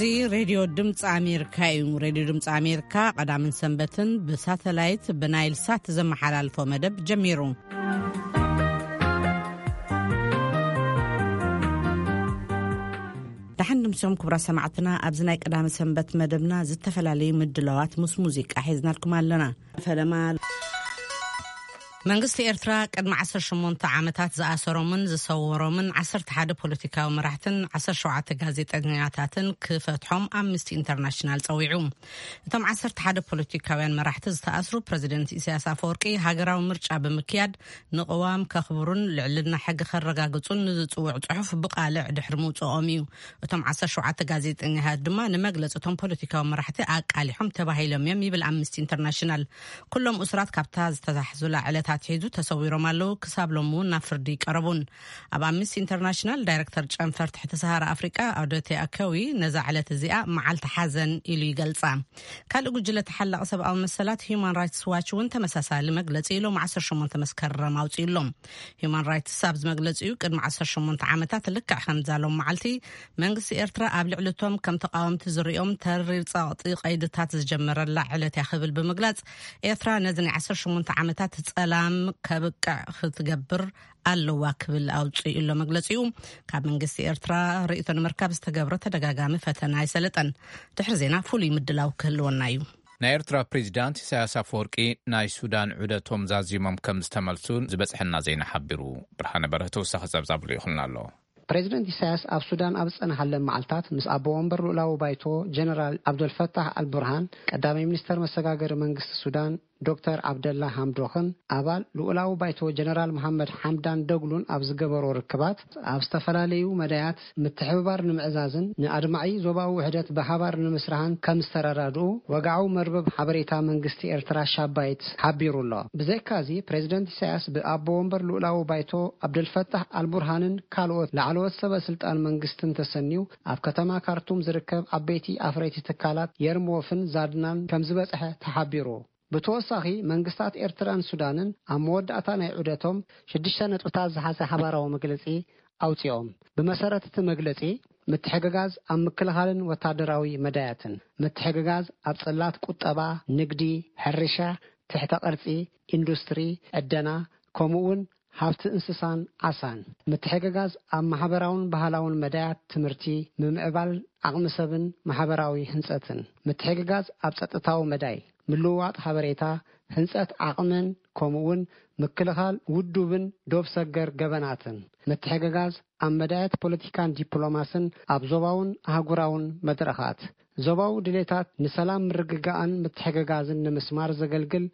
እዚ ሬድዮ ድምፂ ኣሜሪካ እዩ። ሬድዮ ድምፂ ኣሜሪካ ቀዳምን ሰንበትን ብሳተላይት ብናይል ሳት ዘመሓላልፎ መደብ ጀሚሩ። ደሓን ድምሶም ክቡራት ሰማዕትና፣ ኣብዚ ናይ ቀዳሚ ሰንበት መደብና ዝተፈላለዩ ምድላዋት ምስ ሙዚቃ ሒዝናልኩም ኣለና። ፈለማ መንግስቲ ኤርትራ ቅድሚ ዓሰርተ ሸሞንተ ዓመታት ዝኣሰሮምን ዝሰወሮምን ዓሰርተ ሓደ ፖለቲካዊ መራሕትን ዓሰርተ ሸውዓተ ጋዜጠኛታትን ክፈትሖም ኣምነስቲ ኢንተርናሽናል ጸዊዑ። እቶም ዓሰርተ ሓደ ፖለቲካውያን መራሕቲ ዝተኣስሩ ፕረዚደንት ኢሳያስ ኣፈወርቂ ሃገራዊ ምርጫ ብምክያድ ንቅዋም ከኽብሩን ልዕልና ሕጊ ከረጋግጹን ንዝጽውዕ ጽሑፍ ብቃልዕ ድሕሪ ምውጽኦም እዩ። እቶም ዓሰርተ ሸውዓተ ጋዜጠኛታት ድማ ንመግለጺ እቶም ፖለቲካዊ መራሕቲ ኣቃሊሖም ተባሂሎም እዮም ይብል ኣምነስቲ ኢንተርናሽናል። ኩሎም እሱራት ካብታ ዝተታሕዙላ ዕለት ኣትሒዙ ተሰዊሮም ኣለዉ። ክሳብ ሎም እውን ናብ ፍርዲ ይቀረቡን። ኣብ ኣምነስቲ ኢንተርናሽናል ዳይረክተር ጨንፈር ትሕቲ ሰሃራ ኣፍሪቃ ኣውደቴ ኣከዊ ነዛ ዕለት እዚኣ መዓልቲ ሓዘን ኢሉ ይገልጻ። ካልእ ጉጅለ ተሓላቒ ሰብኣዊ መሰላት ሂዩማን ራይትስ ዋች እውን ተመሳሳሊ መግለጺ ሎም ዓሰርተ ሸሞንተ መስከረም ኣውጺኡሎም። ሂዩማን ራይትስ ኣብዚ መግለጺኡ ቅድሚ ዓሰርተ ሸሞንተ ዓመታት ልክዕ ከምዛ ሎም መዓልቲ መንግስቲ ኤርትራ ኣብ ልዕሊ እቶም ከም ተቃወምቲ ዝርእዮም ተሪር ጸቕጢ ቀይድታት ዝጀመረላ ዕለት እያ ክብል ብምግላጽ፣ ኤርትራ ነዚ ናይ ዓሰርተ ሸሞንተ ዓመታት ጸላም ከብቅዕ ክትገብር ኣለዋ ክብል ኣውጺኡ ኣሎ መግለጺኡ። ካብ መንግስቲ ኤርትራ ርእይቶ ንምርካብ ዝተገብረ ተደጋጋሚ ፈተና ኣይሰለጠን። ድሕሪ ዜና ፍሉይ ምድላው ክህልወና እዩ። ናይ ኤርትራ ፕሬዚዳንት ኢሳያስ ኣፈወርቂ ናይ ሱዳን ዑደቶም ዛዚሞም ከም ዝተመልሱ ዝበጽሐና ዜና ሓቢሩ። ብርሃነ በርሀ ተወሳኺ ጸብጻብ ልኢኹልና ኣሎ። ፕሬዚደንት ኢሳያስ ኣብ ሱዳን ኣብ ዝጸንሓለን መዓልታት ምስ ኣቦ ወንበር ልኡላዊ ባይቶ ጀነራል ኣብደልፈታሕ ኣልቡርሃን፣ ቀዳማይ ሚኒስተር መሰጋገሪ መንግስቲ ሱዳን ዶክተር ዓብደላ ሃምዶኽን ኣባል ልኡላዊ ባይቶ ጀነራል መሓመድ ሓምዳን ደግሉን ኣብ ዝገበሮ ርክባት፣ ኣብ ዝተፈላለዩ መዳያት ምትሕብባር ንምዕዛዝን ንኣድማዒ ዞባዊ ውሕደት ብሓባር ንምስራሕን ከም ዝተረዳድኡ ወግዓዊ መርበብ ሓበሬታ መንግስቲ ኤርትራ ሻባይት ሓቢሩ ኣሎ። ብዘይካዚ፣ ፕሬዚደንት ኢሳያስ ብኣቦ ወንበር ልኡላዊ ባይቶ ኣብደልፈታሕ ኣልቡርሃንን ካልኦት ላዕለዎት ሰበ ስልጣን መንግስትን ተሰንዩ ኣብ ከተማ ካርቱም ዝርከብ ዓበይቲ ኣፍረይቲ ትካላት የርሞፍን ዛድናን ከም ዝበጽሐ ተሓቢሩ። ብተወሳኺ መንግስታት ኤርትራን ሱዳንን ኣብ መወዳእታ ናይ ዑደቶም ሽዱሽተ ነጥብታት ዝሓዘ ሓባራዊ መግለጺ ኣውጺኦም። ብመሰረት እቲ መግለጺ፣ ምትሕግጋዝ ኣብ ምክልኻልን ወታደራዊ መዳያትን፣ ምትሕግጋዝ ኣብ ጽላት ቁጠባ፣ ንግዲ፣ ሕርሻ፣ ትሕተ ቅርጺ፣ ኢንዱስትሪ፣ ዕደና፣ ከምኡ እውን ሃብቲ እንስሳን ዓሳን፣ ምትሕግጋዝ ኣብ ማሕበራውን ባህላውን መዳያት ትምህርቲ፣ ምምዕባል ዓቕሚ ሰብን ማሕበራዊ ህንጸትን፣ ምትሕግጋዝ ኣብ ጸጥታዊ መዳይ፣ ምልውዋጥ ሓበሬታ፣ ህንጸት ዓቕምን ከምኡውን ምክልኻል ውዱብን ዶብ ሰገር ገበናትን፣ ምትሕግጋዝ ኣብ መዳያት ፖለቲካን ዲፕሎማስን ኣብ ዞባውን ኣህጉራውን መድረኻት፣ ዞባዊ ድሌታት ንሰላም ምርግጋእን ምትሕግጋዝን ንምስማር ዘገልግል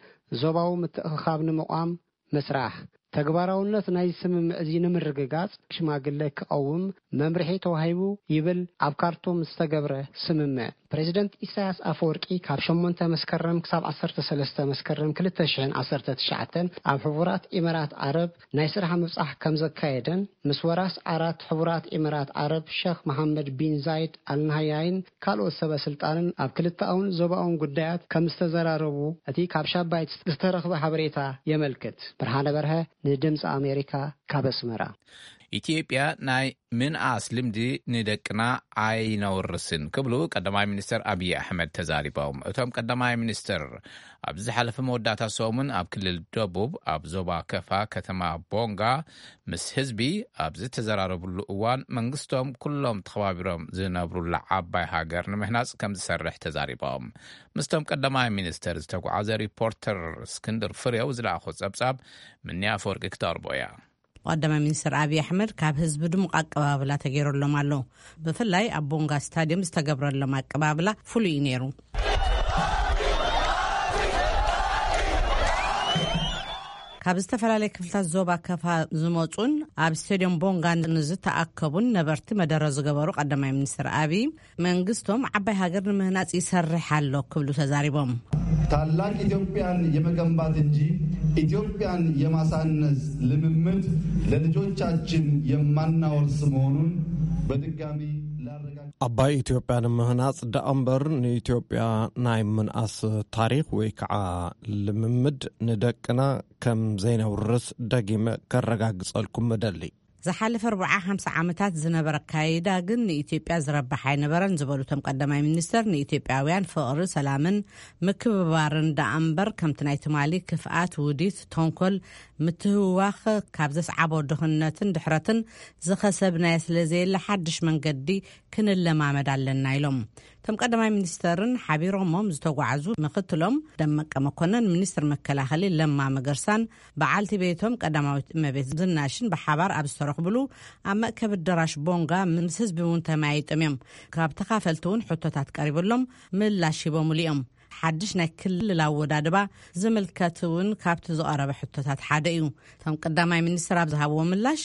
ዞባዊ ምትእኽኻብ ንምቋም ምስራሕ፣ ተግባራውነት ናይዚ ስምምዕ እዚ ንምርግጋጽ ሽማግለ ክቐውም መምርሒ ተዋሂቡ ይብል ኣብ ካርቱም ዝተገብረ ስምምዕ። ፕሬዚደንት ኢሳያስ ኣፈወርቂ ካብ ሸሞንተ መስከረም ክሳብ ዓሰርተ ሰለስተ መስከረም ክልተ ሽሕን ዓሰርተ ትሽዓተን ኣብ ሕቡራት ኢመራት ዓረብ ናይ ስራሕ ምብጻሕ ከም ዘካየደን ምስ ወራስ ዓራት ሕቡራት ኢመራት ዓረብ ሸኽ መሓመድ ቢን ዛይድ ኣልናሃያይን ካልኦት ሰበ ስልጣንን ኣብ ክልተኣውን ዞባውን ጉዳያት ከም ዝተዘራረቡ እቲ ካብ ሻባይት ዝተረኽበ ሓበሬታ የመልክት። ብርሃነ በርሀ ንድምፂ ኣሜሪካ ካብ ኣስመራ። ኢትዮጵያ ናይ ምንኣስ ልምዲ ንደቅና ኣይነውርስን ክብሉ ቀዳማይ ሚኒስትር ኣብይ ኣሕመድ ተዛሪቦም። እቶም ቀዳማይ ሚኒስትር ኣብ ዝሓለፈ መወዳእታ ሰሙን ኣብ ክልል ደቡብ ኣብ ዞባ ከፋ ከተማ ቦንጋ ምስ ህዝቢ ኣብ ዝተዘራረብሉ እዋን መንግስቶም ኩሎም ተኸባቢሮም ዝነብሩላ ዓባይ ሃገር ንምህናጽ ከም ዝሰርሕ ተዛሪቦም። ምስቶም ቀዳማይ ሚኒስትር ዝተጓዓዘ ሪፖርተር እስክንድር ፍሬው ዝለኣኾ ጸብጻብ ምንያ ኣፈወርቂ ክተቕርቦ እያ። ቀዳማይ ሚኒስትር ኣብይ ኣሕመድ ካብ ህዝቢ ድሙቕ ኣቀባብላ ተገይረሎም ኣሎ። ብፍላይ ኣብ ቦንጋ ስታድየም ዝተገብረሎም ኣቀባብላ ፍሉይ እዩ ነይሩ። ካብ ዝተፈላለየ ክፍልታት ዞባ ከፋ ዝመጹን ኣብ ስቴድዮም ቦንጋ ንዝተኣከቡን ነበርቲ መደረ ዝገበሩ ቀዳማይ ሚኒስትር ኣብይ፣ መንግስቶም ዓባይ ሃገር ንምህናጽ ይሰርሕ ኣሎ ክብሉ ተዛሪቦም። ታላቅ ኢትዮጵያን የመገንባት እንጂ ኢትዮጵያን የማሳነስ ልምምድ ለልጆቻችን የማናወርስ መሆኑን በድጋሚ ላረጋግጥ። ዓባይ ኢትዮጵያ ንምህናጽ ደኣ እምበር ንኢትዮጵያ ናይ ምንኣስ ታሪኽ ወይ ከዓ ልምምድ ንደቅና ከም ዘይነውርስ ደጊመ ከረጋግጸልኩም እደሊ። ዝሓለፈ ኣርብዓ ሓምሳ ዓመታት ዝነበረ ኣካይዳ ግን ንኢትዮጵያ ዝረብሕ ኣይነበረን ዝበሉ እቶም ቀዳማይ ሚኒስተር፣ ንኢትዮጵያውያን ፍቕሪ፣ ሰላምን ምክብባርን ደኣ እምበር ከምቲ ናይ ትማሊ ክፍኣት፣ ውዲት፣ ተንኮል፣ ምትህዋኽ ካብ ዘስዓቦ ድኽነትን ድሕረትን ዝኸሰብናዮ ስለ ዘየለ ሓድሽ መንገዲ ክንለማመድ ኣለና ኢሎም። እቶም ቀዳማይ ሚኒስተርን ሓቢሮሞም ዝተጓዓዙ ምክትሎም ደመቀ መኮነን፣ ሚኒስትር መከላኸሊ ለማ መገርሳን በዓልቲ ቤቶም ቀዳማዊት እመቤት ዝናሽን ብሓባር ኣብ ዝተረኽብሉ ኣብ መእከቢ ኣዳራሽ ቦንጋ ምስ ህዝቢ እውን ተመያይጦም እዮም። ካብ ተኻፈልቲ እውን ሕቶታት ቀሪብሎም ምላሽ ሂቦምሉ እዮም። ሓድሽ ናይ ክልል ኣወዳድባ ዝምልከት እውን ካብቲ ዝቐረበ ሕቶታት ሓደ እዩ። እቶም ቀዳማይ ሚኒስትር ኣብ ዝሃብዎ ምላሽ፣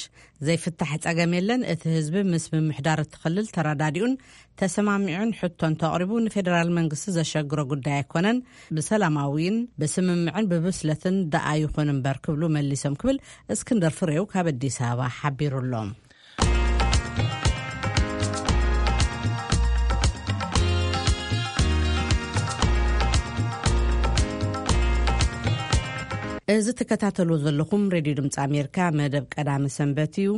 ዘይፍታሕ ጸገም የለን፣ እቲ ህዝቢ ምስ ምምሕዳር እቲ ክልል ተረዳዲኡን ተሰማሚዑን ሕቶ እንተቕሪቡ ንፌደራል መንግስቲ ዘሸግሮ ጉዳይ ኣይኮነን፣ ብሰላማዊን ብስምምዕን ብብስለትን ደኣ ይኹን እምበር ክብሉ መሊሶም ክብል እስክንድር ፍሬው ካብ ኣዲስ ኣበባ ሓቢሩ ኣሎ። እዚ ትከታተሉ ዘለኹም ሬድዮ ድምፂ ኣሜሪካ መደብ ቀዳሚ ሰንበት እዩ።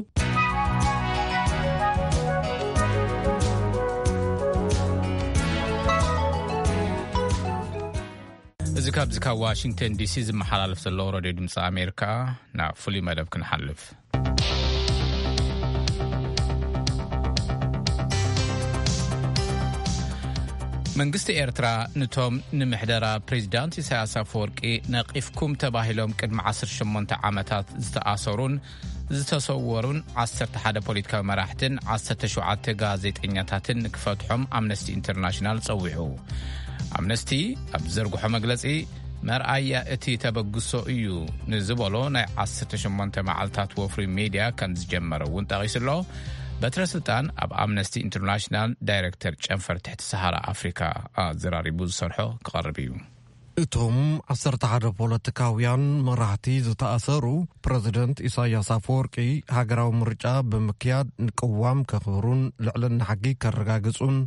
እዚ ካብዚ ካብ ዋሽንግተን ዲሲ ዝመሓላለፍ ዘሎ ሬድዮ ድምፂ ኣሜሪካ፣ ናብ ፍሉይ መደብ ክንሓልፍ። መንግስቲ ኤርትራ፣ ንቶም ንምሕደራ ፕሬዚዳንት ኢሳያስ ኣፈወርቂ ነቒፍኩም ተባሂሎም ቅድሚ ዓሰርተ ሸሞንተ ዓመታት ዝተኣሰሩን ዝተሰወሩን ዓሰርተ ሓደ ፖለቲካዊ መራሕትን ዓሰርተ ሸውዓተ ጋዜጠኛታትን ክፈትሖም ኣምነስቲ ኢንተርናሽናል ጸዊዑ። ኣምነስቲ ኣብ ዝዘርግሖ መግለጺ፣ መርኣያ እቲ ተበግሶ እዩ ንዝበሎ ናይ ዓሰርተ ሸሞንተ መዓልታት ወፍሪ ሜድያ ከም ዝጀመረ እውን ጠቒሱ ኣሎ። በትረ ስልጣን ኣብ ኣምነስቲ ኢንተርናሽናል ዳይሬክተር ጨንፈር ትሕቲ ሰሃራ ኣፍሪካ ኣዘራሪቡ ዝሰርሖ ክቐርብ እዩ። እቶም ዓሰርተ ሓደ ፖለቲካውያን መራሕቲ ዝተኣሰሩ፣ ፕረዚደንት ኢሳያስ ኣፈወርቂ ሃገራዊ ምርጫ ብምክያድ ንቅዋም ከኽብሩን ልዕልና ሕጊ ከረጋግጹን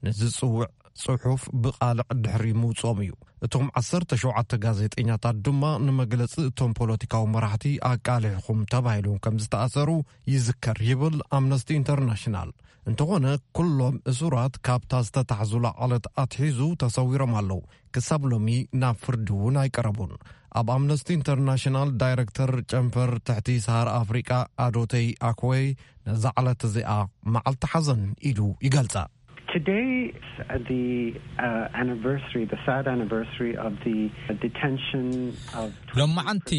ንዝጽውዕ ጽሑፍ ብቓልዕ ድሕሪ ምውጽኦም እዩ። እቶም ዓሰርተ ሸውዓተ ጋዜጠኛታት ድማ ንመግለጺ እቶም ፖለቲካዊ መራሕቲ ኣቃሊሕኹም ተባሂሎም ከም ዝተኣሰሩ ይዝከር ይብል ኣምነስቲ ኢንተርናሽናል። እንተኾነ፣ ኩሎም እሱራት ካብታ ዝተታሕዙላ ዕለት ኣትሒዙ ተሰዊሮም ኣለዉ። ክሳብ ሎሚ ናብ ፍርዲ እውን ኣይቀረቡን። ኣብ ኣምነስቲ ኢንተርናሽናል ዳይረክተር ጨንፈር ትሕቲ ሰሃራ ኣፍሪቃ ኣዶተይ ኣኮይ ነዛ ዕለት እዚኣ መዓልቲ ሓዘን ኢሉ ይገልጻ። Today is the uh, anniversary, the sad anniversary of the detention of ሎማዓንቲ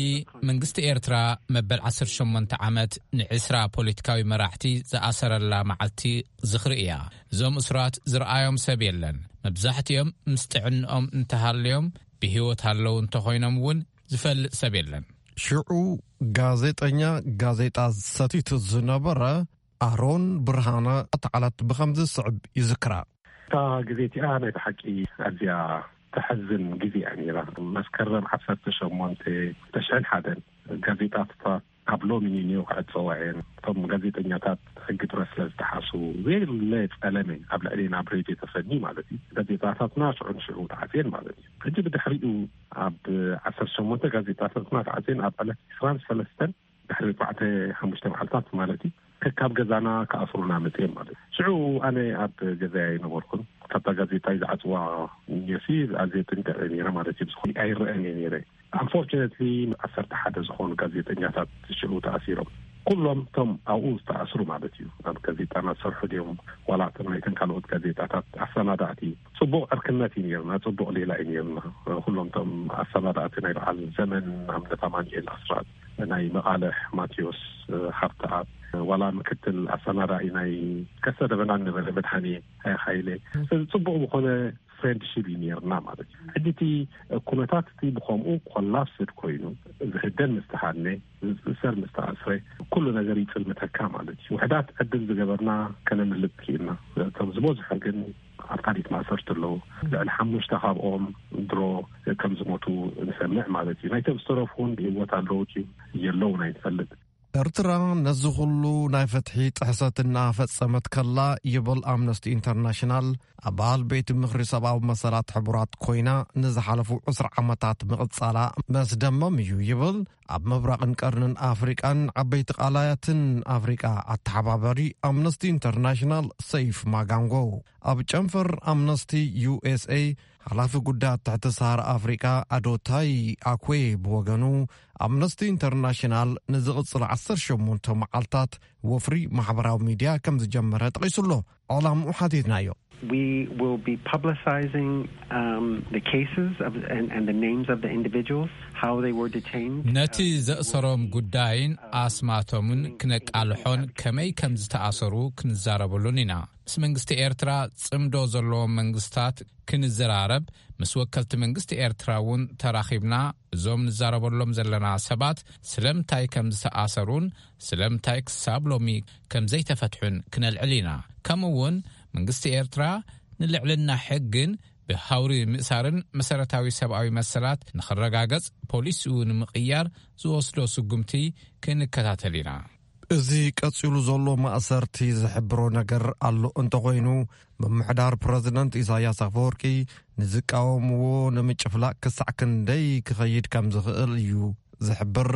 መንግስቲ ኤርትራ መበል ዓሰርተ ሸሞንተ ዓመት ንዕስራ ፖለቲካዊ መራሕቲ ዝኣሰረላ መዓልቲ ዝኽሪ እያ። እዞም እሱራት ዝረኣዮም ሰብ የለን። መብዛሕትኦም ምስ ጥዕንኦም እንተሃልዮም፣ ብህይወት ኣለዉ እንተኾይኖም እውን ዝፈልጥ ሰብ የለን። ሽዑ ጋዜጠኛ ጋዜጣ ሰቲቱ ዝነበረ ኣሮን ብርሃነ እታ ዕለት ብኸምዚ ዝስዕብ ይዝክራ። እታ ግዜ እቲኣ ናይ ብሓቂ ኣዝያ ተሕዝን ግዜ እያ ነይራ። መስከረም ዓሰርተ ሸሞንተ ተሽዕን ሓደን ጋዜጣታት ካብ ሎሚ ንንዮ ክዕጸዋ እየን። እቶም ጋዜጠኛታት ሕጊ ፕረስ ስለ ዝጠሓሱ፣ ዘየለ ጸለመ ኣብ ልዕሌና ኣብ ሬድዮ ተፈኒ ማለት እዩ። ጋዜጣታትና ሽዑ ንሽዑ ተዓጽየን ማለት እዩ። ሕጂ ብድሕሪኡ ኣብ ዓሰርተ ሸሞንተ ጋዜጣታትና ተዓጽየን ኣብ ዕለት ዕስራን ሰለስተን ድሕሪ ኣርባዕተ ሓሙሽተ መዓልታት ማለት እዩ፣ ከካብ ገዛና ክኣስሩና መጽዮም ማለት እዩ። ሽዑ ኣነ ኣብ ገዛይ ኣይነበርኩን። ካብታ ጋዜጣ ዝዓጽዋ ኒዮሲ ኣዝየ ጥንቀቕ እየ ነይረ ማለት እዩ። ብዝኾነ ኣይረአን እየ ነይረ። ኣንፎርቹነትሊ ዓሰርተ ሓደ ዝኾኑ ጋዜጠኛታት ሽዑ ተኣሲሮም። ኩሎም እቶም ኣብኡ ዝተኣስሩ ማለት እዩ፣ ኣብ ጋዜጣና ዝሰርሑ ድዮም ዋላ እቶም ናይተን ካልኦት ጋዜጣታት ኣሰናዳእቲ፣ ጽቡቕ ዕርክነት እዩ ነይርና፣ ጽቡቕ ሌላ እዩ ነይርና። ኩሎም እቶም ኣሰናዳእቲ ናይ በዓል ዘመን ኣብነት ኣማኑኤል ኣስራት፣ ናይ መቓልሕ ማቴዎስ ሃብተኣብ፣ ዋላ ምክትል ኣሰናዳኢ ናይ ከሰተ ደበና ነበረ መድሃኔ ሃይለ። ስለዚ ጽቡቕ ዝኾነ ፍሬንድሺፕ እዩ ነይርና ማለት እዩ። ሕጂ እቲ ኩነታት እቲ ብኸምኡ ኮላፕስድ ኮይኑ፣ ዝህደን ምስ ተሃድነ፣ ዝእሰር ምስ ተኣስረ፣ ኩሉ ነገር ይጽልምተካ ማለት እዩ። ውሕዳት ዕድል ዝገበርና ከነምልጥ ክኢልና። እቶም ዝበዝሑ ግን ኣብ ካሊት ማእሰርቲ ኣለዉ። ልዕሊ ሓሙሽተ ካብኦም ድሮ ከም ዝሞቱ ንሰምዕ ማለት እዩ። ናይቶም ዝተረፉ እውን ብህይወት ኣለዉ ድዩ የለውን ኣይንፈልጥ። ኤርትራ ነዚ ኩሉ ናይ ፍትሒ ጥሕሰት እናፈጸመት ከላ፣ ይብል ኣምነስቲ ኢንተርናሽናል፣ ኣባል ቤት ምኽሪ ሰብኣዊ መሰላት ሕቡራት ኮይና ንዝሓለፉ ዕስራ ዓመታት ምቕጻላ መስደመም እዩ ይብል። ኣብ ምብራቕን ቀርንን ኣፍሪቃን ዓበይቲ ቃላያትን ኣፍሪቃ ኣተሓባባሪ ኣምነስቲ ኢንተርናሽናል ሰይፍ ማጋንጎ፣ ኣብ ጨንፈር ኣምነስቲ ዩኤስኤ ሓላፊ ጉዳያት ትሕቲ ሰሃራ ኣፍሪቃ ኣዶታይ ኣኩዌ ብወገኑ፣ ኣምነስቲ ኢንተርናሽናል ንዝቕጽል ዓሰርተ ሸሞንተ መዓልታት ወፍሪ ማሕበራዊ ሚድያ ከም ዝጀመረ ጠቒሱ ኣሎ። ዕላምኡ ሓቲትናዮ። We will be publicizing um, the cases of, and, and the names of the individuals, how they were detained. ነቲ ዘእሰሮም ጉዳይን ኣስማቶምን ክነቃልሖን ከመይ ከም ዝተኣሰሩ ክንዛረበሉን ኢና። ምስ መንግስቲ ኤርትራ ጽምዶ ዘለዎም መንግስታት ክንዘራረብ፣ ምስ ወከልቲ መንግስቲ ኤርትራ እውን ተራኺብና፣ እዞም ንዛረበሎም ዘለና ሰባት ስለምንታይ ከም ዝተኣሰሩን ስለምንታይ ክሳብ ሎሚ ከም ዘይተፈትሑን ክነልዕል ኢና። ከምኡ እውን መንግስቲ ኤርትራ ንልዕልና ሕግን ብሃውሪ ምእሳርን መሰረታዊ ሰብኣዊ መሰላት ንኽረጋገጽ ፖሊሲኡ ንምቕያር ዝወስዶ ስጉምቲ ክንከታተል ኢና። እዚ ቀጺሉ ዘሎ ማእሰርቲ ዝሕብሮ ነገር ኣሎ እንተኾይኑ፣ ምምሕዳር ፕረዚደንት ኢሳያስ ኣፈወርቂ ንዝቃወምዎ ንምጭፍላቕ ክሳዕ ክንደይ ክኸይድ ከም ዝኽእል እዩ ዝሕብር።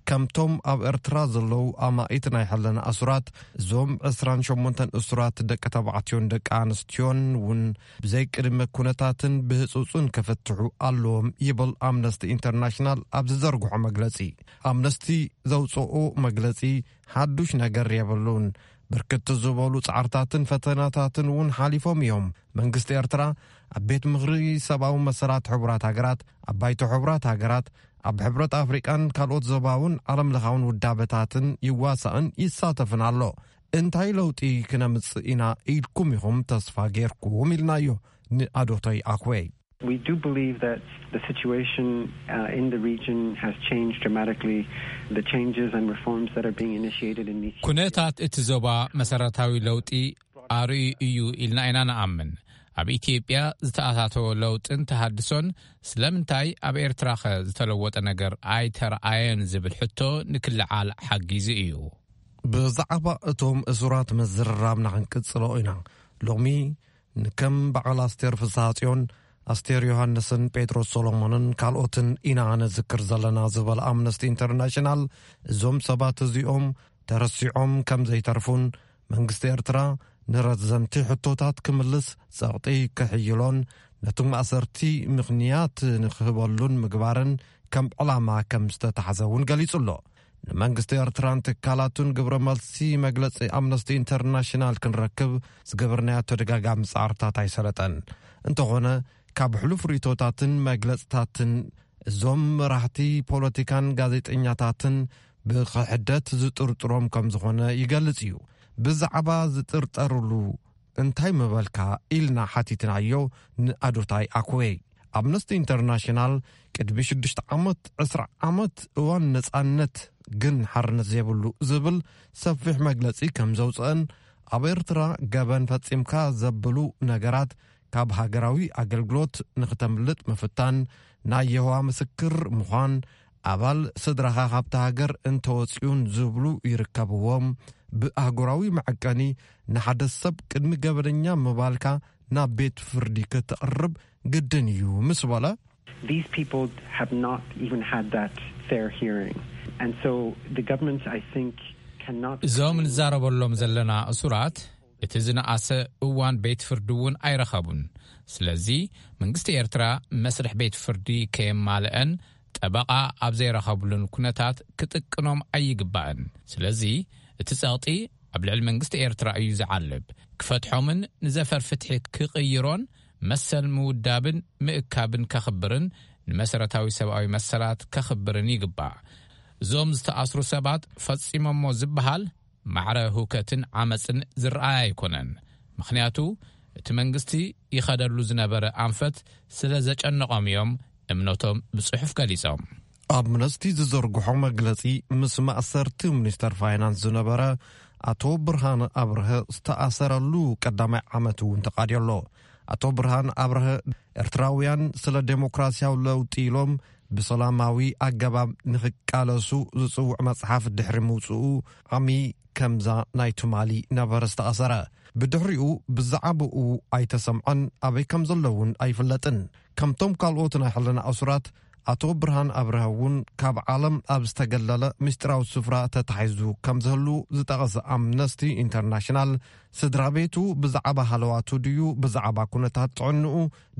ከምቶም ኣብ ኤርትራ ዘለዉ ኣማኢት ናይ ሕልና ኣሱራት፣ እዞም ዕስራን ሸሞንተን እሱራት ደቂ ተባዕትዮን ደቂ ኣንስትዮን እውን ብዘይ ቅድመ ኩነታትን ብህጹጽን ክፍትሑ ኣለዎም ይብል ኣምነስቲ ኢንተርናሽናል ኣብ ዝዘርግሖ መግለጺ። ኣምነስቲ ዘውጽኦ መግለጺ ሓዱሽ ነገር የብሉን። ብርክት ዝበሉ ጻዕርታትን ፈተናታትን እውን ሓሊፎም እዮም። መንግስቲ ኤርትራ ኣብ ቤት ምኽሪ ሰብኣዊ መሰላት ሕቡራት ሃገራት፣ ኣብ ባይቶ ሕቡራት ሃገራት፣ ኣብ ሕብረት ኣፍሪቃን ካልኦት ዞባውን ዓለምለኻውን ውዳበታትን ይዋሳእን ይሳተፍን ኣሎ። እንታይ ለውጢ ክነምጽእ ኢና ኢልኩም ኢኹም ተስፋ ጌርኩም ኢልናዮ ንኣዶቶይ ኣኩዌ። We do believe that the situation uh, in the region has changed dramatically. The changes and reforms that are being initiated in Ethiopia. ኩነታት እቲ ዞባ መሰረታዊ ለውጢ ኣርእዩ እዩ ኢልና ኢና ንኣምን። ኣብ ኢትዮጵያ ዝተኣታተወ ለውጥን ተሃድሶን ስለምንታይ ኣብ ኤርትራኸ ዝተለወጠ ነገር ኣይተረኣየን ዝብል ሕቶ ንክልዓል ሓጊዙ እዩ። ብዛዕባ እቶም እሱራት ምዝርራብና ክንቅጽሎ ኢና። ሎሚ ንከም በዓል ኣስቴር ፍስሃጽዮን፣ ኣስቴር ዮሃንስን ጴጥሮስ ሶሎሞንን ካልኦትን ኢና ነዝክር ዘለና ዝበለ ኣምነስቲ ኢንተርናሽናል፣ እዞም ሰባት እዚኦም ተረሲዖም ከም ዘይተርፉን መንግስቲ ኤርትራ ንረዘንቲ ሕቶታት ክምልስ ጸቕጢ ክሕይሎን ነቲ ማእሰርቲ ምኽንያት ንክህበሉን ምግባርን ከም ዕላማ ከም ዝተታሕዘ እውን ገሊጹ ኣሎ። ንመንግስቲ ኤርትራን ትካላቱን ግብረ መልሲ መግለጺ ኣምነስቲ ኢንተርናሽናል ክንረክብ ዝገበርናዮ ተደጋጋሚ ጻዕርታት ኣይሰለጠን። እንተኾነ ካብ ሕሉፍ ርእቶታትን መግለጽታትን እዞም መራሕቲ ፖለቲካን ጋዜጠኛታትን ብክሕደት ዝጥርጥሮም ከም ዝኾነ ይገልጽ እዩ። ብዛዕባ ዝጥርጠርሉ እንታይ ምበልካ ኢልና ሓቲትናዮ ንኣዶታይ ኣኩዌ። ኣምነስቲ ኢንተርናሽናል ቅድሚ ሽዱሽተ ዓመት ዕስራ ዓመት እዋን ነጻነት ግን ሓርነት ዘይብሉ ዝብል ሰፊሕ መግለጺ ከም ዘውፅአን ኣብ ኤርትራ ገበን ፈጺምካ ዘብሉ ነገራት ካብ ሃገራዊ ኣገልግሎት ንክተምልጥ ምፍታን፣ ናይ የሆዋ ምስክር ምዃን፣ ኣባል ስድራኻ ካብቲ ሃገር እንተወጺኡን ዝብሉ ይርከብዎም። ብኣህጉራዊ መዐቀኒ ንሓደ ሰብ ቅድሚ ገበነኛ ምባልካ ናብ ቤት ፍርዲ ክትቕርብ ግድን እዩ ምስ በለ። These people have not even had that fair hearing. And so the government, I think, cannot እዞም ንዛረበሎም ዘለና እሱራት እቲ ዝነኣሰ እዋን ቤት ፍርዲ እውን ኣይረኸቡን። ስለዚ መንግስቲ ኤርትራ መስርሕ ቤት ፍርዲ ከየማልአን ጠበቓ ኣብ ዘይረኸብሉን ኩነታት ክጥቅኖም ኣይግባእን። ስለዚ እቲ ጸቕጢ ኣብ ልዕሊ መንግስቲ ኤርትራ እዩ ዝዓልብ። ክፈትሖምን ንዘፈር ፍትሒ ክቕይሮን መሰል ምውዳብን ምእካብን ከኽብርን ንመሰረታዊ ሰብኣዊ መሰላት ከኽብርን ይግባእ። እዞም ዝተኣስሩ ሰባት ፈጺሞሞ ዝበሃል ማዕረ ህውከትን ዓመጽን ዝረኣይ ኣይኮነን። ምኽንያቱ እቲ መንግስቲ ይኸደሉ ዝነበረ ኣንፈት ስለ ዘጨነቖም እዮም እምነቶም ብጽሑፍ ገሊጾም። ኣምነስቲ ዝዘርግሖ መግለጺ ምስ ማእሰርቲ ሚኒስተር ፋይናንስ ዝነበረ ኣቶ ብርሃነ ኣብርሀ ዝተኣሰረሉ ቀዳማይ ዓመት እውን ተቓድዮ ኣሎ። ኣቶ ብርሃን ኣብርሀ ኤርትራውያን ስለ ዴሞክራሲያዊ ለውጢ ኢሎም ብሰላማዊ ኣገባብ ንኽቃለሱ ዝጽውዕ መጽሓፍ ድሕሪ ምውጽኡ ዓሚ ከምዛ ናይ ትማሊ ነበረ ዝተኣሰረ። ብድሕሪኡ ብዛዕባኡ ኣይተሰምዐን፣ ኣበይ ከም ዘሎ እውን ኣይፍለጥን። ከምቶም ካልኦት ናይ ሕልና እሱራት ኣቶ ብርሃን ኣብርሃ እውን ካብ ዓለም ኣብ ዝተገለለ ምስጢራዊ ስፍራ ተታሒዙ ከም ዝህሉ ዝጠቐሰ ኣምነስቲ ኢንተርናሽናል፣ ስድራ ቤቱ ብዛዕባ ሃለዋቱ ድዩ ብዛዕባ ኩነታት ጥዕንኡ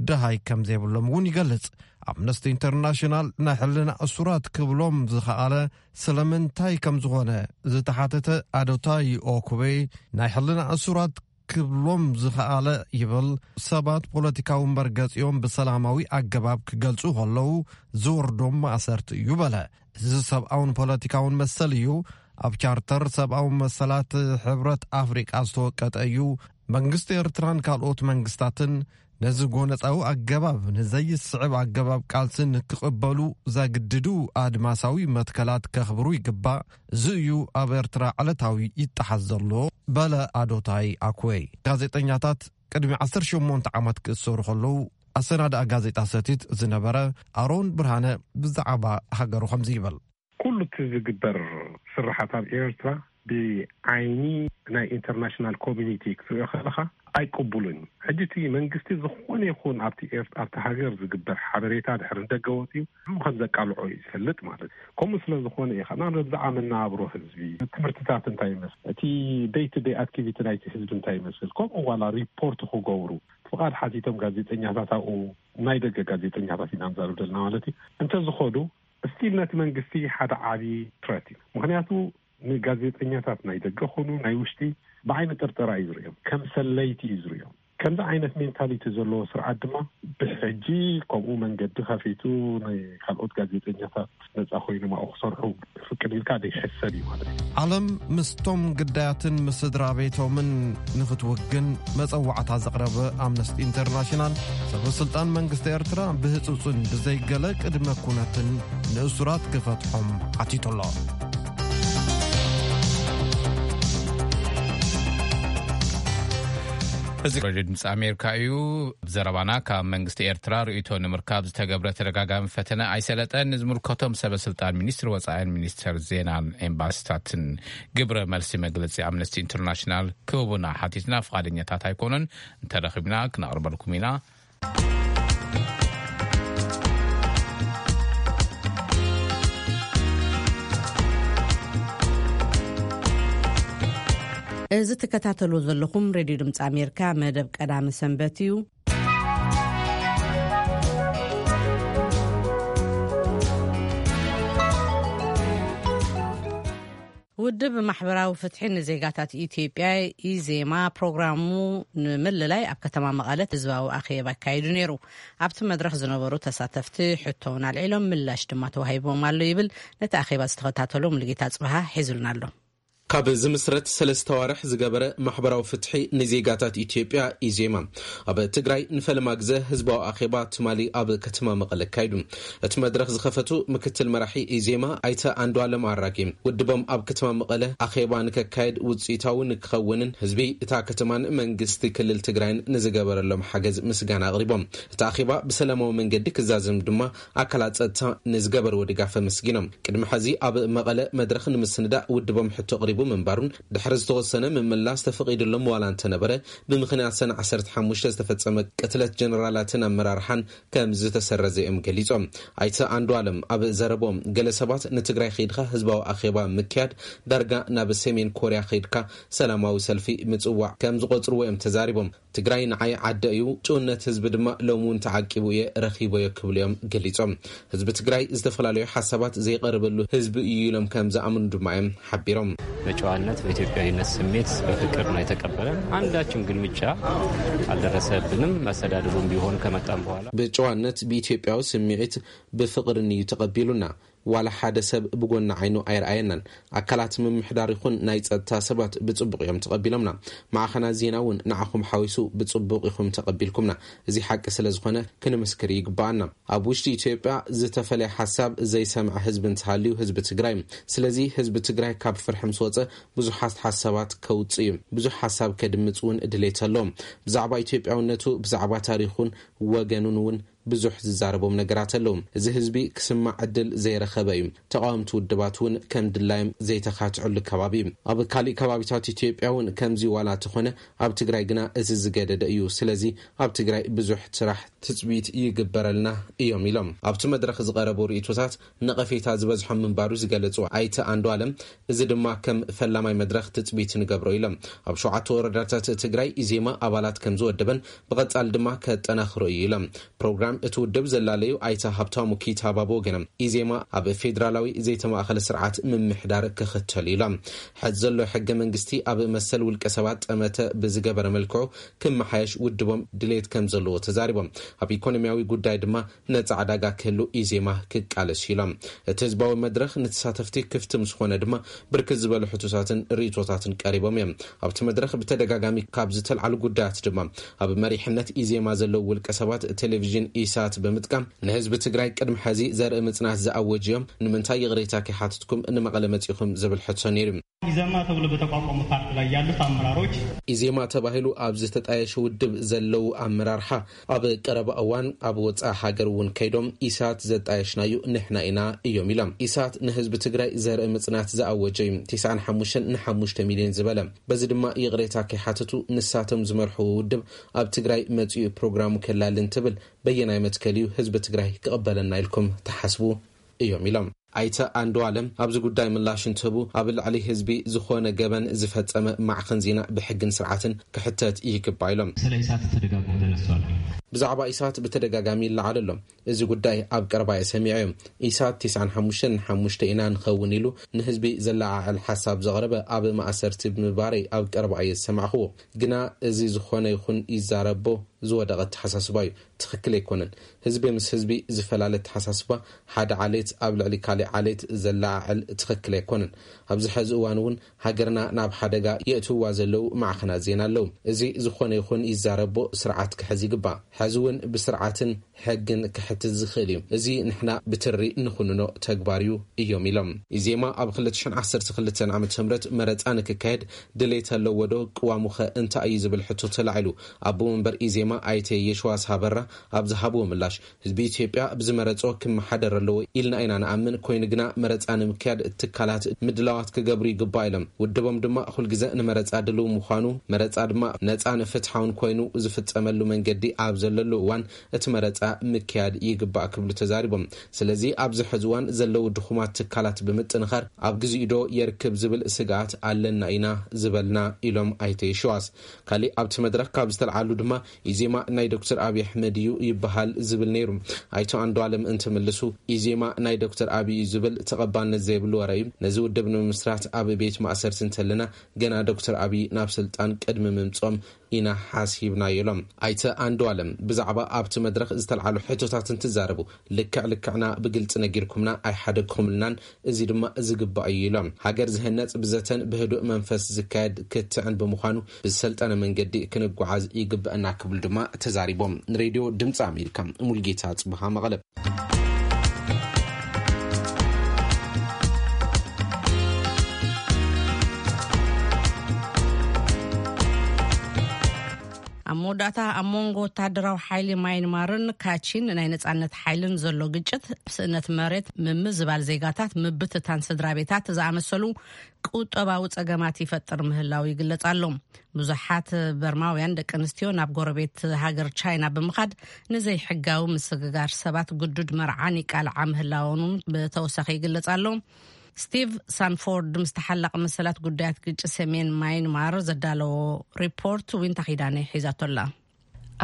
ደሃይ ከም ዘይብሎም እውን ይገልጽ። ኣምነስቲ ኢንተርናሽናል ናይ ሕልና እሱራት ክብሎም ዝኸኣለ ስለምንታይ ከም ዝኾነ ዝተሓተተ ኣዶታይ ኦኩቤ፣ ናይ ሕልና እሱራት ክብሎም ዝኸኣለ ይብል፣ ሰባት ፖለቲካዊ እምበር ገጺኦም ብሰላማዊ ኣገባብ ክገልጹ ከለዉ ዝወርዶም ማእሰርቲ እዩ በለ። እዚ ሰብኣውን ፖለቲካውን መሰል እዩ። ኣብ ቻርተር ሰብኣዊ መሰላት ሕብረት ኣፍሪቃ ዝተወቀጠ እዩ። መንግስቲ ኤርትራን ካልኦት መንግስታትን ነዚ ጎነጻዊ ኣገባብ ንዘይስዕብ ኣገባብ ቃልሲ ንክቕበሉ ዘግድዱ ኣድማሳዊ መትከላት ከኽብሩ ይግባእ። እዚ እዩ ኣብ ኤርትራ ዕለታዊ ይጠሓስ ዘሎ በለ ኣዶታይ ኣኩዌ። ጋዜጠኛታት ቅድሚ ዓሰርተ ሸሞንተ ዓመት ክእሰሩ ከለዉ ኣሰናድኣ ጋዜጣ ሰቲት ዝነበረ ኣሮን ብርሃነ ብዛዕባ ሃገሩ ከምዚ ይብል። ኩሉ እቲ ዝግበር ስርሓት ኣብ ኤርትራ ብዓይኒ ናይ ኢንተርናሽናል ኮሚኒቲ ክትሪኦ ከለኻ ኣይቅቡልን እዩ። ሕጂ እቲ መንግስቲ ዝኾነ ይኹን ኣብቲ ኤር-፣ ኣብቲ ሃገር ዝግበር ሓበሬታ ድሕሪ ንደገ ወፂኡ ንዕኡ ከም ዘቃልዖ እዩ ዝፈልጥ ማለት እዩ። ከምኡ ስለ ዝኾነ እዩ ከኣ ብዛዕባ መነባብሮ ህዝቢ፣ ትምህርትታት እንታይ ይመስል፣ እቲ ደይ ቱ ደይ ኣክቲቪቲ ናይቲ ህዝቢ እንታይ ይመስል፣ ከምኡ ዋላ ሪፖርት ክገብሩ ፍቓድ ሓቲቶም ጋዜጠኛታት ኣብኡ ናይ ደገ ጋዜጠኛታት ኢና ንዛረብ ዘለና ማለት እዩ። እንተዝኸዱ ስቲል ነቲ መንግስቲ ሓደ ዓቢ ትረት እዩ። ምኽንያቱ ንጋዜጠኛታት ናይ ደገ ኹኑ ናይ ውሽጢ ብዓይኒ ጥርጠራ እዩ ዝርእዮም፣ ከም ሰለይቲ እዩ ዝርእዮም። ከምዚ ዓይነት ሜንታሊቲ ዘለዎ ስርዓት ድማ ብሕጂ ከምኡ መንገዲ ከፊቱ ናይ ካልኦት ጋዜጠኛታት ነጻ ኮይኖም ኣብኡ ክሰርሑ ፍቅድ ኢልካ ደይሕሰብ እዩ ማለት እዩ። ዓለም ምስቶም ግዳያትን ምስ ስድራ ቤቶምን ንኽትውግን መጸዋዕታ ዘቕረበ ኣምነስቲ ኢንተርናሽናል፣ ሰበ ስልጣን መንግስቲ ኤርትራ ብህጹጽን ብዘይገለ ቅድመ ኩነትን ንእሱራት ክፈትሖም ሓቲቱ ኣሎ። እዚ ሬድዮ ድምፂ ኣሜሪካ እዩ። ዘረባና ካብ መንግስቲ ኤርትራ ርእይቶ ንምርካብ ዝተገብረ ተደጋጋሚ ፈተነ ኣይሰለጠን። ንዝምልከቶም ሰበ ስልጣን ሚኒስትሪ ወፃኢን ሚኒስተር ዜናን ኤምባሲታትን ግብረ መልሲ መግለፂ ኣምነስቲ ኢንተርናሽናል ክህቡና ሓቲትና፣ ፍቓደኛታት ኣይኮኑን። እንተረኺብና ክነቕርበልኩም ኢና። እዚ ትከታተሉ ዘለኹም ሬድዮ ድምፂ ኣሜሪካ መደብ ቀዳሚ ሰንበት እዩ። ውድብ ማሕበራዊ ፍትሒ ንዜጋታት ኢትዮጵያ፣ ኢዜማ፣ ፕሮግራሙ ንምልላይ ኣብ ከተማ መቐለ ህዝባዊ ኣኼባ ኣካይዱ ነይሩ። ኣብቲ መድረኽ ዝነበሩ ተሳተፍቲ ሕቶውን ኣልዒሎም፣ ምላሽ ድማ ተዋሂቦም ኣሎ ይብል ነቲ ኣኼባ ዝተኸታተሎ ሙሉጌታ ጽብሃ ሒዙልና ኣሎ። ካብ ዝምስረት ሰለስተ ዋርሕ ዝገበረ ማሕበራዊ ፍትሒ ንዜጋታት ኢትዮጵያ፣ ኢዜማ፣ ኣብ ትግራይ ንፈለማ ግዘ ህዝባዊ ኣኼባ ትማሊ ኣብ ከተማ መቐለ ኣካይዱ። እቲ መድረኽ ዝኸፈቱ ምክትል መራሒ ኢዜማ ኣይተ ኣንዱኣለም ኣራጌ፣ ውድቦም ኣብ ከተማ መቐለ ኣኼባ ንከካየድ ውፅኢታዊ ንክኸውንን ህዝቢ እታ ከተማን መንግስቲ ክልል ትግራይን ንዝገበረሎም ሓገዝ ምስጋና ኣቕሪቦም። እቲ ኣኼባ ብሰላማዊ መንገዲ ክዛዘም ድማ ኣካላት ጸጥታ ንዝገበርዎ ድጋፍ ኣመስጊኖም። ቅድሚ ሕዚ ኣብ መቐለ መድረኽ ንምስንዳእ ውድቦም ሕቶ ኣቕሪቡ ምንባሩን ድሕሪ ዝተወሰነ ምምላስ ተፈቒዱሎም ዋላ እንተነበረ፣ ብምኽንያት ሰነ ዓሰርተ ሓሙሽተ ዝተፈጸመ ቅትለት ጀነራላትን ኣመራርሓን ከም ዝተሰረዘ እዮም ገሊጾም። ኣይተ ኣንዱኣለም ኣብ ዘረቦም፣ ገለ ሰባት ንትግራይ ከይድካ ህዝባዊ ኣኼባ ምክያድ ዳርጋ ናብ ሰሜን ኮርያ ከይድካ ሰላማዊ ሰልፊ ምጽዋዕ ከም ዝቖጽርዎ እዮም ተዛሪቦም። ትግራይ ንዓይ ዓደ እዩ፣ ጭውነት ህዝቢ ድማ ሎሚ እውን ተዓቂቡ እየ ረኺቦዮ ክብሉ እዮም ገሊጾም። ህዝቢ ትግራይ ዝተፈላለዩ ሓሳባት ዘይቀርበሉ ህዝቢ እዩ ኢሎም ከም ዝኣምኑ ድማ እዮም ሓቢሮም። በጨዋነት በኢትዮጵያዊነት ስሜት በፍቅር ነው የተቀበለን። አንዳችም ግልምጫ አልደረሰብንም። መስተዳድሩም ቢሆን ከመጣም በኋላ ብጨዋነት ብኢትዮጵያዊ ስምዒት ብፍቕርን እዩ ተቐቢሉና። ዋላ ሓደ ሰብ ብጎኒ ዓይኑ ኣይረኣየናን። ኣካላት ምምሕዳር ይኹን ናይ ጸጥታ ሰባት ብጽቡቕ እዮም ተቐቢሎምና። ማዕኸናት ዜና እውን ንዓኹም ሓዊሱ ብጽቡቕ ኢኹም ተቐቢልኩምና። እዚ ሓቂ ስለ ዝኾነ ክንምስክር ይግባኣና። ኣብ ውሽጢ ኢትዮጵያ ዝተፈለየ ሓሳብ ዘይሰምዐ ህዝቢ እንተሃልዩ ህዝቢ ትግራይ። ስለዚ ህዝቢ ትግራይ ካብ ፍርሒ ምስ ወጸ ብዙሓት ሓሳባት ከውጽእ እዩ። ብዙሕ ሓሳብ ከድምጽ እውን ድሌት ኣለዎም። ብዛዕባ ኢትዮጵያውነቱ፣ ብዛዕባ ታሪኹን ወገኑን እውን ብዙሕ ዝዛረቦም ነገራት ኣለዉ። እዚ ህዝቢ ክስማዕ ዕድል ዘይረኸበ እዩ። ተቓወምቲ ውድባት እውን ከም ድላዮም ዘይተኻትዕሉ ከባቢ እዩ። ኣብ ካሊእ ከባቢታት ኢትዮጵያ እውን ከምዚ ዋላ ተኾነ፣ ኣብ ትግራይ ግና እዚ ዝገደደ እዩ። ስለዚ ኣብ ትግራይ ብዙሕ ስራሕ ትፅቢት ይግበረልና እዮም ኢሎም ኣብቲ መድረኽ ዝቐረቡ ርእቶታት ነቐፌታ ዝበዝሖም ምንባሩ ዝገለጹ ኣይተ ኣንዱ ኣለም፣ እዚ ድማ ከም ፈላማይ መድረኽ ትፅቢት ንገብሮ ኢሎም። ኣብ ሸውዓተ ወረዳታት ትግራይ ኢዜማ ኣባላት ከም ዝወደበን ብቐጻል ድማ ከጠናኽሮ እዩ ኢሎም። ፕሮግራም እቲ ውድብ ዘላለዩ ኣይተ ሃብታሙ ኪታባ ብወገኖም፣ ኢዜማ ኣብ ፌዴራላዊ ዘይተማእኸለ ስርዓት ምምሕዳር ክኽተል ኢሎም። ሕዚ ዘሎ ሕገ መንግስቲ ኣብ መሰል ውልቀ ሰባት ጠመተ ብዝገበረ መልክዑ ክመሓየሽ ውድቦም ድሌት ከም ዘለዎ ተዛሪቦም። ኣብ ኢኮኖሚያዊ ጉዳይ ድማ ነጻ ዕዳጋ ክህሉ ኢዜማ ክቃለስ ኢሎም። እቲ ህዝባዊ መድረኽ ንተሳተፍቲ ክፍቲ ምስ ኾነ ድማ ብርክት ዝበሉ ሕቶታትን ርእቶታትን ቀሪቦም እዮም። ኣብቲ መድረኽ ብተደጋጋሚ ካብ ዝተልዓሉ ጉዳያት ድማ ኣብ መሪሕነት ኢዜማ ዘለዉ ውልቀ ሰባት ቴሌቪዥን ኢሳት ብምጥቃም ንህዝቢ ትግራይ ቅድሚ ሕዚ ዘርኢ ምጽናት ዝኣወጅ እዮም፣ ንምንታይ ይቕሬታ ከይሓትትኩም ንመቐለ መጺኹም ዝብል ሕቶ ነይሩ። ኢዜማ ተብሎ በተቋቋመ ፓርቲ ላይ ያሉት አመራሮች ኢዜማ ተባሂሉ ኣብ ዝተጣየሸ ውድብ ዘለዉ ኣመራርሓ ኣብ ቀረባ እዋን ኣብ ወፃኢ ሃገር እውን ከይዶም ኢሳት ዘጣየሽናዩ ንሕና ኢና እዮም ኢሎም። ኢሳት ንህዝቢ ትግራይ ዘርኢ ምፅናት ዝኣወጀ እዩ። ተስዓን ሓሙሽተን ንሓሙሽተ ሚልዮን ዝበለ። በዚ ድማ ይቕሬታ ከይሓተቱ ንሳቶም ዝመርሕዎ ውድብ ኣብ ትግራይ መፂኡ ፕሮግራሙ ከላሊ እንትብል በየናይ መትከል እዩ ህዝቢ ትግራይ ክቕበለና ኢልኩም ትሓስቡ እዮም ኢሎም። ኣይተ ኣንዱ ኣለም ኣብዚ ጉዳይ ምላሽ እንትህቡ ኣብ ልዕሊ ህዝቢ ዝኾነ ገበን ዝፈጸመ ማዕኸን ዜና ብሕግን ስርዓትን ክሕተት ይግባ ኢሎም። ስለ ኢሳት ተደጋግሞ ተነስቷል። ብዛዕባ ኢሳት ብተደጋጋሚ ይለዓል ኣሎ። እዚ ጉዳይ ኣብ ቀረባ እየ ሰሚዐዮ። ኢሳት ተስዓን ሓሙሽተን ሓሙሽተ ኢና ንኸውን ኢሉ ንህዝቢ ዘለዓዕል ሓሳብ ዘቕረበ ኣብ ማእሰርቲ ብምባረይ ኣብ ቀረባ እየ ዝሰማዕኽዎ። ግና እዚ ዝኾነ ይኹን ይዛረቦ ዝወደቐ ኣተሓሳስባ እዩ። ትኽክል ኣይኮነን። ህዝቢ ምስ ህዝቢ ዝፈላለ ኣተሓሳስባ ሓደ ዓሌት ኣብ ልዕሊ ካሊእ ዓሌት ዘለዓዕል ትኽክል ኣይኮነን። ኣብዚ ሐዚ እዋን እውን ሃገርና ናብ ሓደጋ የእትውዋ ዘለዉ ማዕኸናት ዜና ኣለዉ። እዚ ዝኾነ ይኹን ይዛረቦ ስርዓት ክሕዝ ይግባእ። ሐዚ እውን ብስርዓትን ሕግን ክሕትት ዝኽእል እዩ። እዚ ንሕና ብትሪ ንኹንኖ ተግባር እዩ እዮም ኢሎም። ኢዜማ ኣብ ክልተ ሽሕን ዓሰርተ ክልተን ዓመተ ምህረት መረፃ ንክካየድ ድሌት ኣለዎ ዶ? ቅዋሙኸ እንታይ እዩ ዝብል ሕቶ ተላዒሉ። ኣቦ መንበር ኢዜማ ኣይተ የሽዋስ ሃበራ ኣብ ዝሃብዎ ምላሽ፣ ህዝቢ ኢትዮጵያ ብዝመረጾ ክመሓደር ኣለዎ ኢልና ኢና ንኣምን። ኮይኑ ግና መረጻ ንምክያድ ትካላት ምድላዋት ክገብሩ ይግባእ ኢሎም። ውድቦም ድማ ኩልግዘ ንመረጻ ድልው ምዃኑ፣ መረጻ ድማ ነጻን ፍትሓውን ኮይኑ ዝፍጸመሉ መንገዲ ኣብ ዘለሉ እዋን እቲ መረጻ ምክያድ ይግባእ ክብሉ ተዛሪቦም። ስለዚ ኣብዚ ሕዚ እዋን ዘለዉ ድኹማት ትካላት ብምጥንኻር ኣብ ግዚኡ ዶ የርክብ ዝብል ስግኣት ኣለና ኢና ዝበልና ኢሎም ኣይተ የሽዋስ። ካሊእ ኣብቲ መድረኽ ካብ ዝተልዓሉ ድማ ኢዜማ ናይ ዶክተር ኣብይ ኣሕመድ እዩ ይበሃል ዝብል ነይሩ። ኣይተ ኣንዱ ኣለም እንትምልሱ ኢዜማ ናይ ዶክተር ኣብይ እዩ ዝብል ተቐባልነት ዘይብሉ ወረ እዩ። ነዚ ውድብ ንምምስራት ኣብ ቤት ማእሰርቲ እንተለና ገና ዶክተር ኣብይ ናብ ስልጣን ቅድሚ ምምጾም ኢና ሓሲብናዮ ኢሎም። ኣይተ ኣንዱ ኣለም ብዛዕባ ኣብቲ መድረኽ ዝተልዓሉ ሕቶታት እንትዛረቡ ልክዕ ልክዕና ብግልፂ ነጊርኩምና ኣይሓደግኩምልናን፣ እዚ ድማ ዝግባእ እዩ ኢሎም። ሃገር ዝህነፅ ብዘተን ብህዱእ መንፈስ ዝካየድ ክትዕን ብምዃኑ ብዝሰልጠነ መንገዲ ክንጓዓዝ ይግበአና ክብሉ ድማ ተዛሪቦም። ንሬድዮ ድምፂ ኣሜሪካ ሙልጌታ ፅብሃ መቐለ። ኣብ መወዳእታ ኣብ መንጎ ወታደራዊ ሓይሊ ማይንማርን ካቺን ናይ ነጻነት ሓይልን ዘሎ ግጭት፣ ስእነት መሬት፣ ምምዝባል ዜጋታት፣ ምብትታን ስድራ ቤታት ዝኣመሰሉ ቁጠባዊ ጸገማት ይፈጥር ምህላው ይግለጽ ኣሎ። ብዙሓት በርማውያን ደቂ ኣንስትዮ ናብ ጎረቤት ሃገር ቻይና ብምኻድ ንዘይሕጋዊ ምስግጋር ሰባት፣ ግዱድ መርዓን ይቃልዓ ምህላወን እውን ብተወሳኺ ይግለጽ ኣሎ። ስቲቭ ሳንፎርድ ምስ ተሓላቒ መሰላት ጉዳያት ግጭት ሰሜን ማይንማር ዘዳለዎ ሪፖርት ዊንታ ኪዳነ ሒዛቶ ኣላ።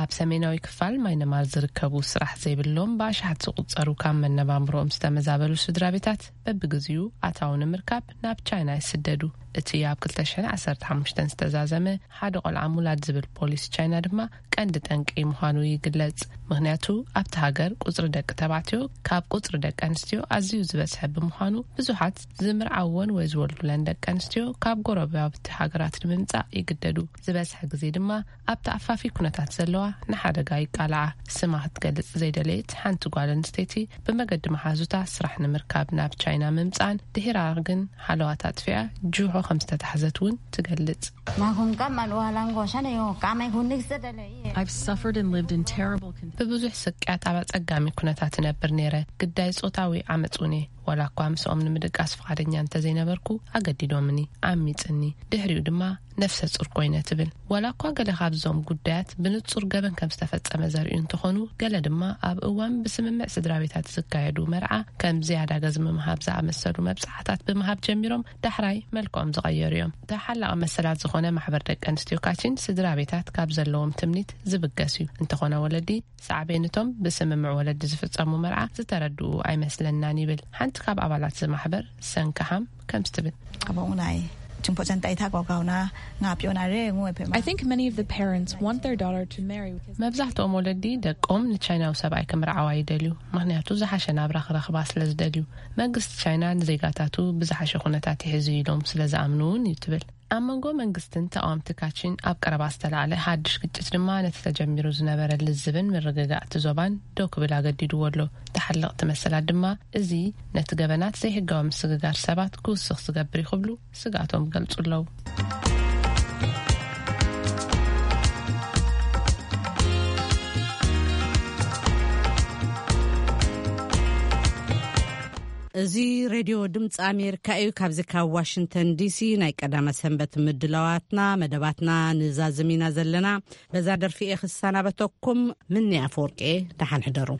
ኣብ ሰሜናዊ ክፋል ማይንማር ዝርከቡ ስራሕ ዘይብሎም ብኣሽሓት ዝቑጸሩ ካብ መነባብሮኦም ዝተመዛበሉ ስድራ ቤታት በብግዚኡ ኣታዊ ንምርካብ ናብ ቻይና ይስደዱ። እቲ ኣብ ክልተ ሽሕን ዓሰርተ ሓሙሽተን ዝተዛዘመ ሓደ ቆልዓ ምውላድ ዝብል ፖሊሲ ቻይና ድማ ቀንዲ ጠንቂ ምዃኑ ይግለጽ። ምኽንያቱ ኣብቲ ሃገር ቁጽሪ ደቂ ተባዕትዮ ካብ ቁጽሪ ደቂ ኣንስትዮ ኣዝዩ ዝበዝሐ ብምዃኑ ብዙሓት ዝምርዓወን ወይ ዝወልዱለን ደቂ ኣንስትዮ ካብ ጎረባብቲ ሃገራት ንምምጻእ ይግደዱ። ዝበዝሐ ግዜ ድማ ኣብ ተኣፋፊ ኩነታት ዘለዋ ንሓደጋ ይቃልዓ። ስማ ክትገልጽ ዘይደለየት ሓንቲ ጓል ኣንስተይቲ ብመገዲ መሓዙታ ስራሕ ንምርካብ ናብ ቻይና ምምጻእን ድሒራ ግን ሃለዋት ኣጥፊኣ ጁሆ ከም ዝተታሕዘት እውን ትገልጽ። Makhun kammal walan goshan yo kamay hunnik sedale. I've suffered and lived in terrible con- ብብዙሕ ስቅያት ኣብ ኣጸጋሚ ኩነታት እነብር ነይረ። ግዳይ ጾታዊ ዓመጽ እውን እየ። ዋላ እኳ ምስኦም ንምድቃስ ፍቓደኛ እንተዘይነበርኩ፣ ኣገዲዶምኒ፣ ዓሚጽኒ። ድሕሪኡ ድማ ነፍሰ ጹር ኮይነ ትብል። ዋላ እኳ ገለ ካብዞም ጉዳያት ብንጹር ገበን ከም ዝተፈጸመ ዘርእዩ እንተኾኑ፣ ገለ ድማ ኣብ እዋን ብስምምዕ ስድራ ቤታት ዝካየዱ መርዓ ከም ዝያዳ ገዝሚ ምሃብ ዝኣመሰሉ መብጽዓታት ብምሃብ ጀሚሮም ዳሕራይ መልክዖም ዝቐየሩ እዮም። ተሓላቒ መሰላት ዝኾነ ማሕበር ደቂ ኣንስትዮ ካቺን ስድራ ቤታት ካብ ዘለዎም ትምኒት ዝብገስ እዩ። እንተኾነ ወለዲ ሳዕቤንቶም ብስምምዕ ወለዲ ዝፍጸሙ መርዓ ዝተረድኡ ኣይመስለናን ይብል ሓንቲ ካብ ኣባላት እዚ ማሕበር ሰንካሃም ከምዚ ትብል። Abonai chimpochanta ita gwagwawna nga piona re ngu epe ma. I think many of the parents want their daughter to marry. መብዛሕትኦም ወለዲ ደቆም ንቻይናዊ ሰብኣይ ክምርዓዋ ይደልዩ፣ ምኽንያቱ ዝሓሸ ናብራ ክረኽባ ስለ ዝደልዩ። መንግስቲ ቻይና ንዜጋታቱ ብዝሓሸ ኩነታት ይሕዙ ኢሎም ስለ ዝኣምኑ እውን እዩ ትብል። ኣብ መንጎ መንግስትን ተቃወምቲ ካቺን ኣብ ቀረባ ዝተላዕለ ሓድሽ ግጭት ድማ ነቲ ተጀሚሩ ዝነበረ ልዝብን ምርግጋእቲ ዞባን ደው ክብል ኣገዲድዎ ኣሎ። ተሓለቕቲ መሰላት ድማ እዚ ነቲ ገበናት ዘይሕጋዊ ምስግጋር ሰባት ክውስኽ ዝገብር እዩ ክብሉ ስግኣቶም ይገልጹ ኣለዉ። እዚ ሬድዮ ድምፂ ኣሜሪካ እዩ። ካብዚ ካብ ዋሽንግተን ዲሲ ናይ ቀዳመ ሰንበት ምድላዋትና መደባትና ንዛዝም ኢና ዘለና። በዛ ደርፊ እየ ክሰናበተኩም። ምኒ ኣፈወርቂ እየ። ደሓን ሕደሩ።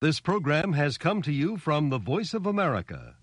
This program has come to you from the Voice of America,